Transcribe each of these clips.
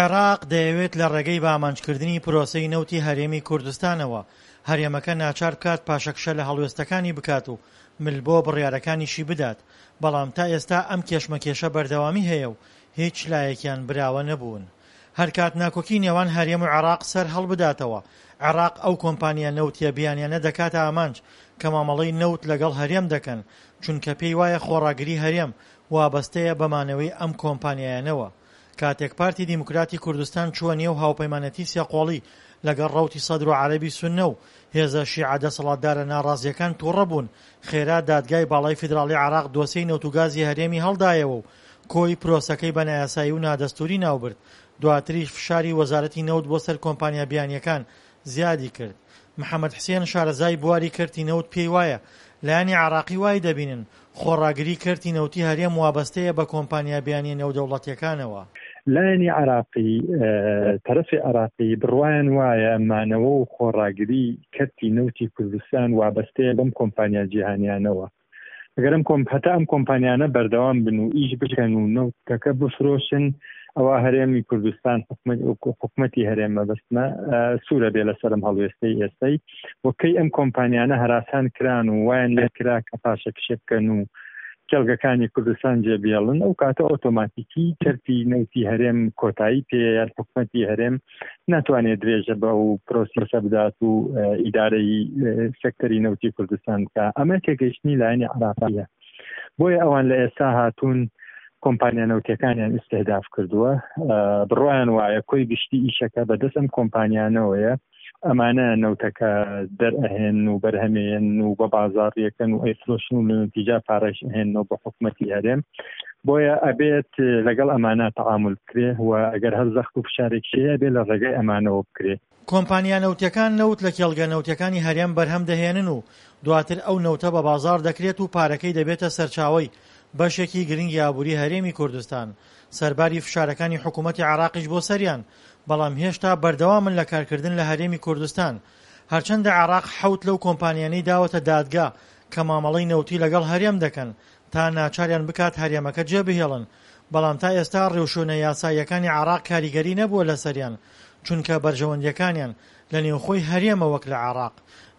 عێراق دەیەوێت لە ڕێگەی بەئامانجکردنی پرۆسەی نەوتی هەرێمی کوردستانەوە، هەرێمەکە ناچار بکات پاشەکشە لە هەڵوێستەکانی بکات و مل بۆ بڕیارەکانیشی بدات، بەڵام تا ئێستا ئەم کێشمەکێشە بەردەوامی هەیە و هیچ لایەکیان براوە نەبوون. هەرکات ناکۆکی نێوان هەرێم و عێراق سەر هەڵبداتەوە، عێراق ئەو کۆمپانیا نەوتیە بیانیانە دەکاتە ئامانج کە مامەڵەی نەوت لەگەڵ هەرێم دەکەن، چونکە پێی وایە خۆڕاگری هەرێم وابەستەیە بە مانەوەی ئەم کۆمپانیایانەوە. کاتێک پارتی دیموکراتی کوردستان چووە نێو هاوپەیمانێتی سێقۆڵی لەگەڵ ڕەوتی سەدر و عەرەبی سوننە و هێزە شیعە دەسەڵاتدارە ناڕازییەکان تووڕە بوون، خێرا دادگای باڵای فیدراڵی عێراق دۆسێی نەوت و گازی هەرێمی هەڵدایەوە و کۆی پرۆسەکەی بە نایاسایی و نادەستووری ناوبرد، دواتریش فشاری وەزارەتی نەوت بۆ سەر کۆمپانیا بیانییەکان زیادی کرد. محەمەد حسێن شارەزای بواری کەرتی نەوت پێی وایە، لایەنی عێراقی وای دەبینن خۆڕاگری کەرتی نەوتی هەرێم وابەستەیە بە کۆمپانیا بیانییە نێودەوڵەتییەکانەوە. لایەنی عێراقی، تەرەفی عێراقی بڕوایان وایە مانەوە و خۆڕاگری کەرتی نەوتی کوردستان وابەستەیە بەم کۆمپانیا جیهانیانەوە. ئەگەر ئەم کۆم هەتا ئەم کۆمپانیانە بەردەوام بن و ئیش بکەن و نەوتەکە بفرۆشن ئەوە هەرێمی کوردستان حکومەتی هەرێم مەبەستمە سوورە بێ لەسەرم هەڵوێستەی ئێستای و کەی ئەم کۆمپانیانە هەراسان کران و وایان لێ کرا کە پاشەکشێ بکەن و کێڵگەکانی کوردستان جێ بێڵن ئەو کاتە ئۆتۆماتیکی کەرتی نەوتی هەرێم کۆتایی پێ یان حکومەتی هەرێم ناتوانێت درێژە بە ئەو پرۆسیسە بدات و ئیدارەی سێکتەری نەوتی کوردستان بکە ئەمە تێگەیشتنی لایەنی عراقیە بۆیە ئەوان لە ئێستا هاتوون کۆمپانیا نەوتەکانیان ئیسیهداف کردووە بڕوایان وایە کۆی گشتی ئیشەکە بەدەست ئەم کۆمپانیانەوەیە ئەمانە نەوتەکە دەرئەهێن و بەرهەمێن و بە بازاڕیەکەن و ئەیفرۆشن و لە نەتیجا پارەش ئەهێنەوە بە حکومەتی هەرێم بۆیە ئەبێت لەگەڵ ئەمانە تەعامول بکرێ و ئەگەر هەر زەخت و فشارێکی هەیە ئەبێ لە ڕێگای ئەمانەوە بکرێ. کۆمپانیا نەوتیەکان نەوت لە کێڵگە نەوتیەکانی هەرێم بەرهەم دەهێنن و دواتر ئەو نەوتە بە بازاڕ دەکرێت و پارەکەی دەبێتە سەرچاوەی بەشێکی گرنگی ئابووری هەرێمی کوردستان سەرباری فشارەکانی حکوومەتی عێراقیش بۆ سەریان بەڵام هێشتا بەردەوامن لە کارکردن لە هەرێمی کوردستان هەرچەندە عێراق حەوت لەو کۆمپانیانەی داوەتە دادگا کە مامەڵەی نەوتی لەگەڵ هەرێم دەکەن تا ناچاریان بکات هەرێمەکە جێبهێڵن، بەڵام تا ئێستا ڕێوشوێنە یاساییەکانی عێراق کاریگەری نەبووە لەسەریان، چونکە بەرژەوەندییەکانیان لە نێوخۆی هەرێمە وەک لە عێراق.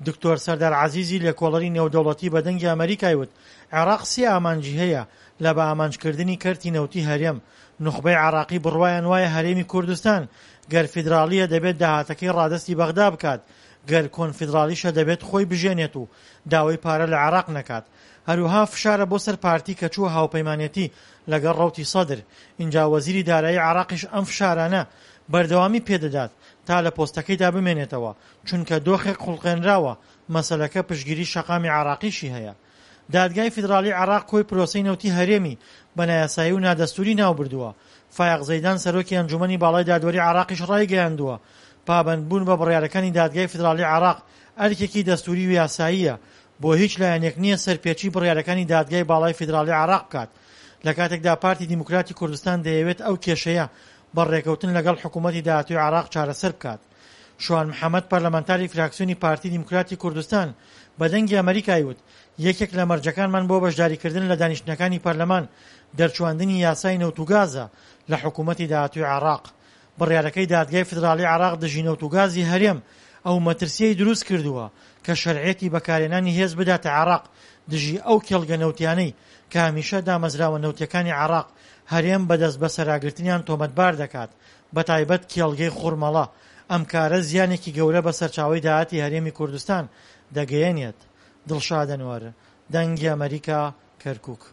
دکتۆر سەردار عەزیزی لێکۆڵەری نێودەوڵەتی بە دەنگی ئەمەریکای وت، عێراق سێ ئامانجی هەیە لە بەئامانجکردنی کەرتی نەوتی هەرێم، نوخبەی عێراقی بڕوایان وایە هەرێمی کوردستان گەر فیدراڵییە دەبێت داهاتەکەی ڕادەستی بەغدا بکات، گەر کۆنفیدراڵیشە دەبێت خۆی بژێنێت و داوای پارە لە عێراق نەکات. هەروەها فشارە بۆ سەر پارتی کە چووە هاوپەیمانێتی لەگەڵ ڕەوتی سەدر، ئینجا وەزیری دارایی عێراقیش ئەم فشارانە بەردەوامی پێدەدات تا لە پۆستەکەیدا بمێنێتەوە، چونکە دۆخێک خوڵقێنراوە مەسەلەکە پشتگیری شەقامی عێراقیشی هەیە. دادگای فیدراڵی عێراق کۆی پرۆسەی نەوتی هەرێمی بە نایاسایی و نادەستووری ناوبردووە، فایەق زەیدان سەرۆکی ئەنجوومەنی باڵای دادوەری عێراقیش ڕایگەیاندووە، پابەندبوون بە بڕیارەکانی دادگای فیدراڵی عێراق ئەرکێکی دەستووری و یاساییە، بۆ هیچ لایەنێک نییە سەرپێچی بڕیارەکانی دادگای باڵای فیدراڵی عێراق بکات، لە کاتێکدا پارتی دیموکراتی کوردستان دەیەوێت ئەو کێشەیە بە ڕێکەوتن لەگەڵ حکوومەتی داهاتووی عێراق چارەسەر بکات. شوان محەمەد پەرلەمانتاری فراکسیۆنی پارتی دیموکراتی کوردستان بە دەنگی ئەمەریکای وت، یەکێک لە مەرجەکانمان بۆ بەشداریکردن لە دانیشتنەکانی پەرلەمان دەرچواندنی یاسای نەوت و گازە لە حکوومەتی داهاتووی عێراق. بڕیارەکەی دادگای فیدراڵی عێراق دژی نەوت و گازی هەرێم ئەو مەترسییەی دروست کردووە کە شەرعیەتی بەکارهێنانی هێز بداتە عێراق دژی ئەو کێڵگە نەوتیانەی کە هەمیشە دامەزراوە نەوتیەکانی عێراق هەرێم بە دەستبەسەراگرتنیان تۆمەتبار دەکات بەتایبەت کێڵگەی خورمەڵە، ئەم کارە زیانێکی گەورە بە سەرچاوەی داهاتی هەرێمی کوردستان دەگەیەنێت. دڵشاد ئەنوەر، دەنگی ئەمەریکا، کەرکوک.